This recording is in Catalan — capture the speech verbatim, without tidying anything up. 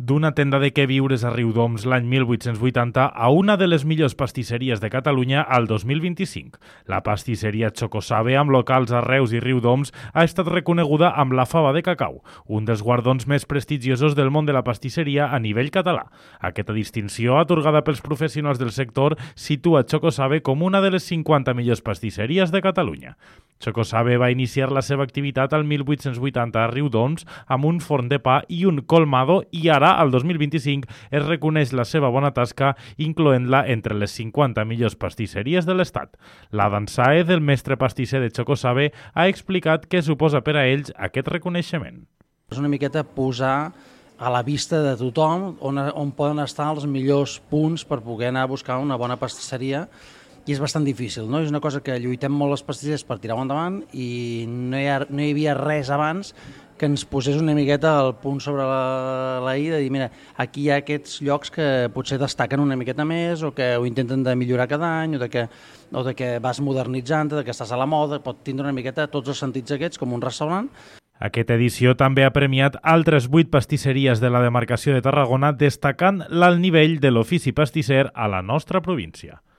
D'una tenda de queviures a Riudoms l'any mil vuit-cents vuitanta a una de les millors pastisseries de Catalunya al dos mil vint-i-cinc. La pastisseria Chocosabe, amb locals a Reus i Riudoms, ha estat reconeguda amb la Fava de Cacau, un dels guardons més prestigiosos del món de la pastisseria a nivell català. Aquesta distinció, atorgada pels professionals del sector, situa Chocosabe com una de les cinquanta millors pastisseries de Catalunya. Chocosabe va iniciar la seva activitat al mil vuit-cents vuitanta a Riudoms amb un forn de pa i un colmado, i ara, al dos mil vint-i-cinc, es reconeix la seva bona tasca, incloent-la entre les cinquanta millors pastisseries de l'Estat. L'Adam Sáez, el mestre pastisser de Chocosabe, ha explicat què suposa per a ells aquest reconeixement. És una miqueta posar a la vista de tothom on, on poden estar els millors punts per poder anar a buscar una bona pastisseria, i és bastant difícil, no? És una cosa que lluitem molt les pastissers per tirar-ho endavant i no hi, ha, no hi havia res abans que ens posés una miqueta el punt sobre la, la i de dir, mira, aquí hi ha aquests llocs que potser destaquen una miqueta més o que ho intenten de millorar cada any o de que, o de que vas modernitzant, de que estàs a la moda, pot tindre una miqueta tots els sentits aquests com un restaurant. Aquesta edició també ha premiat altres vuit pastisseries de la demarcació de Tarragona, destacant l'alt nivell de l'ofici pastisser a la nostra província.